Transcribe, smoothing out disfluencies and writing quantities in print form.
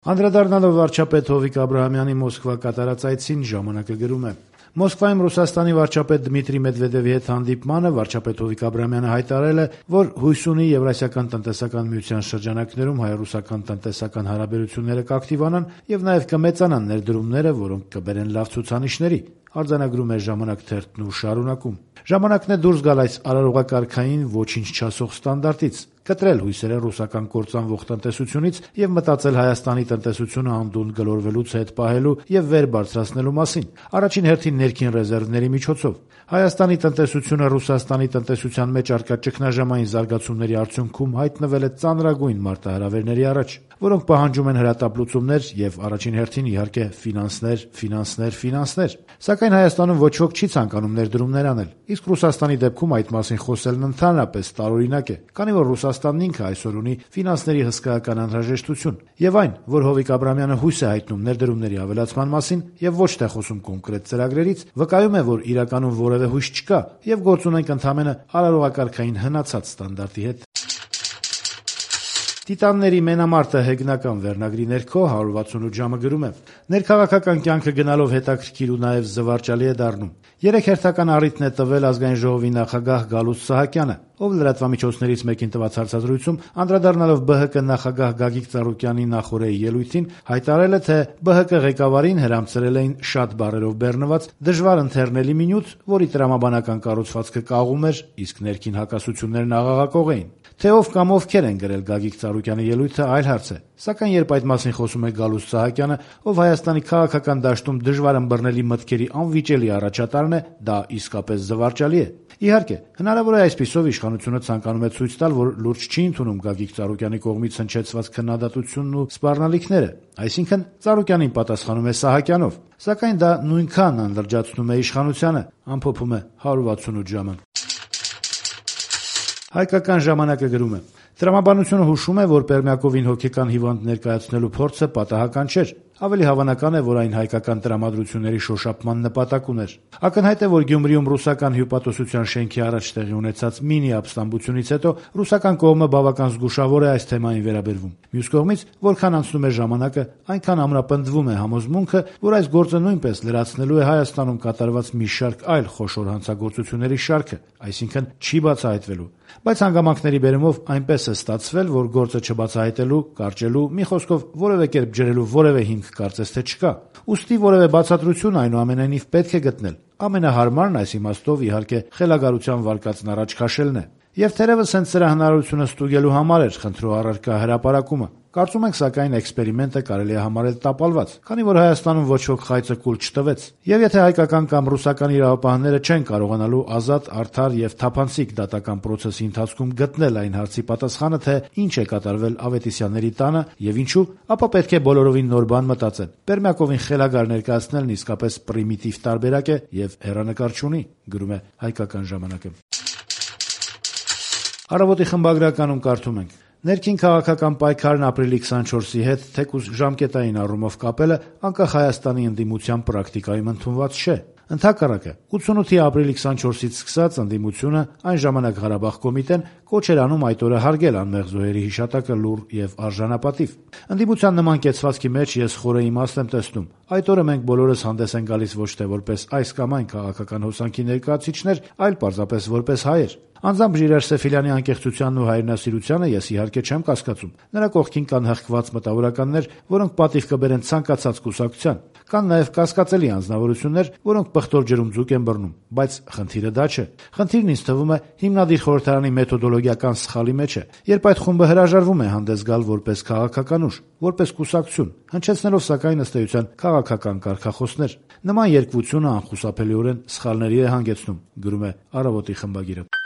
Անդրադառնալով վարչապետ Հովիկ Աբրահամյանի Մոսկվա կատարած այցին, «Ժամանակը» գրում է. Մոսկվայում Ռուսաստանի վարչապետ Դմիտրի Մեդվեդևի հետ հանդիպմանը վարչապետ Հովիկ Աբրահամյանը հայտարարել է, որ հույս ունի Եվրասիական տնտեսական միության շրջանակներում հայ-ռուսական տնտեսական հարաբերությունները կակտիվանան եւ նաեւ կմեծանան ներդրումները, որոնք կբերեն լավ ցուցանիշների։ Արձանագրում է «Ժամանակ» թերթն ու շարունակում. «Ժամանակն է դուրս գալ այս արարողակարգային ոչինչ չասող ստանդարտից, կտրել հույսերը ռուսական կործանվող տնտեսությունից եւ մտածել Հայաստանի տնտեսությունը անդունդը գլորվելուց հետ պահելու եւ վեր բարձրացնելու մասին, առաջին հերթին ներքին ռեզերվների միջոցով։ Հայաստանի տնտեսությունը Ռուսաստանի տնտեսության մեջ առկա ճգնաժամային զարգացումների արդյունքում հայտնվել է ծանրագույն մարտահրավերների առաջ, որոնք պահանջում են հրատապ լուծումներ եւ առաջին հերթին իհարկե ֆինանսներ։ Սակայն Հայաստանում ոչ ոք չի ցանկանում ներդրումներ անել, իսկ Ռուսաստանի դեպքում այդ մասին խոսելն ընդհանրապես տարօրինակ է, քանի որ Ռուսաստանն ինքը այսօր ունի ֆինանսների հսկայական անհրաժեշտություն, եւ այն, որ Հովիկ Աբրահամյանը հույս է հայտնում ներդրումների ավելացման մասին եւ ոչ թե խոսում կոնկրետ ծրագրերից, վկայում է, որ իրականում որևէ հույս չկա եւ գործ ունենք ընդամենը արարողակարգային հնացած ստանդարտի հետ։ Տիտանների մենամարտը հեգնական վերնագրի ներքո 168 ժամը գրում է. ներքաղաքական կյանքը գնալով հետաքրքիր ու նաև զվարճալի է դառնում։ 3 հերթական առիթն է տվել Ազգային ժողովի նախագահ Գալուստ Սահակյանը, ով լրատվամիջոցներից մեկին տված հարցազրույցում անդրադառնալով ԲՀԿ նախագահ Գագիկ Ծառուկյանի նախօրեի ելույթին, հայտարարել է, թե ԲՀԿ ղեկավարին հրամցրել էին շատ բառերով բեռնված դժվար ընթեռնելի մի նյութ, որի տրամաբանական կառուցվածքը կաղում էր, իսկ ներքին հակասություններն աղաղակող էին։ Թե ով կամ ովքեր են գրել Գագիկ Ծառուկյանի ելույթը այլ հարց է, սակայն երբ այդ մասին խոսում է Գալուստ Սահակյանը, ով Հայաստանի քաղաքական դաշտում դժվար ըմբռնելի մտքերի անվիճելի առաջատարն է, դա իսկապես զվարճալի է։ Իհարկե, հնարավոր է այսպիսով իշխանությունը ցանկանում է ցույց տալ, որ լուրջ չի ընդունում Գագիկ Ծառուկյանի կողմից հնչեցված քննադատությունն ու սպառնալիքները, այսինքն Ծառուկյանին պատասխանում է Սահակյանով, սակայն դա նույնքան անլրջացնում է իշխանությանը, ամփոփում է 168 ժամը։ Հայկական ժամանակը գրում է. տրամաբանությունը հուշում է, որ Պերմյակովին հոգեկան հիվանդ ներկայացնելու փորձը պատահական չէր։ Ավելի հավանական է, որ այն հայկական տրամադրությունների շոշափման նպատակ ուներ։ Ակնհայտ է, որ Գյումրիում ռուսական հյուպատոսության շենքի առաջ տեղի ունեցած մինի ապստամբությունից հետո ռուսական կողմը բավական զգուշավոր է այս թեմային վերաբերվում։ Մյուս կողմից, որքան անցնում է ժամանակը, այնքան ամրապնդվում է համոզմունքը, որ այս գործը նույնպես լրացնելու է Հայաստանում կատարված մի շարք այլ խոշոր հանցագործությունների շարքը, այսինքն չի բացահայտվելու։ Բայց հանգամանքների բերումով այնպես է ստացվել, որ գործը չբացահայտելու, կարճելու, մի խոսքով որևէ կերպ ջրելու որևէ հիմք կարծես թե չկա։ Ուստի որևէ բացատրություն այնուամենայնիվ պետք է գտնել։ Ամենահարմարն այս իմաստով իհարկե խելագարության վարկածն առաջ քաշելն է։ Եվ թերևս հենց սրա հնարավորությունը ստուգելու համար էր խնդրու առարկա հրապարակումը։ Կարծում ենք, սակայն էքսպերիմենտը կարելի է համարել տապալված, քանի որ Հայաստանում ոչ ոք խայծը կուլ չտվեց։ Եվ եթե հայկական կամ ռուսական իրավապահները չեն կարողանալու ազատ, արդար եւ թափանցիկ դատական պրոցեսի ընթացքում գտնել այն հարցի պատասխանը, թե ինչ է կատարվել Ավետիսյանների տանը եւ ինչու, ապա պետք է բոլորովին նոր բան մտածել։ Պերմյակովին խելագար ներկայացնելն իսկապես պրիմիտիվ տարբերակ է եւ հեռանկար չունի, գրում է Հայկական ժամանակը։ Առավոտի խմբագրականում կարդում ենք. ներքին քաղաքական պայքարն ապրիլի 24-ի հետ թեկուզ ժամկետային առումով կապելը անկախ Հայաստանի ընդդիմության պրակտիկայում ընդունված չէ։ Ընդհակառակը 88-ի ապրիլի 24-ից սկսած ընդդիմությունը, այն ժամանակ Ղարաբաղ կոմիտեն, կոչ էր անում այդ օրը հարգել անմեղ զոհերի հիշատակը լուռ եւ արժանապատիվ։ Ընդդիմության նման կեցվածքի մեջ ես խորը իմաստ եմ տեսնում։ Այդ օրը մենք բոլորս հանդես են գալիս ոչ թե որպես այս կամ այն քաղաքական հոսանքի ներկայացուցիչներ, այլ պարզապես որպես հայեր։ Անձամբ Ժիրայր Սեֆիլյանի անկեղծությանն ու հայրենասիրությանը ես իհարկե չեմ կասկածում։ Նրա կողքին կան հղկված մտավորականներ, որոնք պատիվ կբերեն ցանկացած կուսակցության։ Կան նաև կասկածելի անձնավորություններ, որոնք պղտոր ջրում ձուկ են բռնում, բայց խնդիրը դա չէ։ Խնդիրն ինձ թվում է հիմնադիր խորհրդարանի մեթոդոլոգիական սխալի մեջ է, երբ այդ խումբը հրաժարվում է հանդես գալ որպես քաղաքական ուժ, որպես կուսակցություն, հնչեցնելով սակայն ըստ էության քաղաքական կարգախոսներ։ Նման երկվությունը անխուսափելիորեն սխալների է հանգեցնում, գրում է Առավոտի խմբագիրը։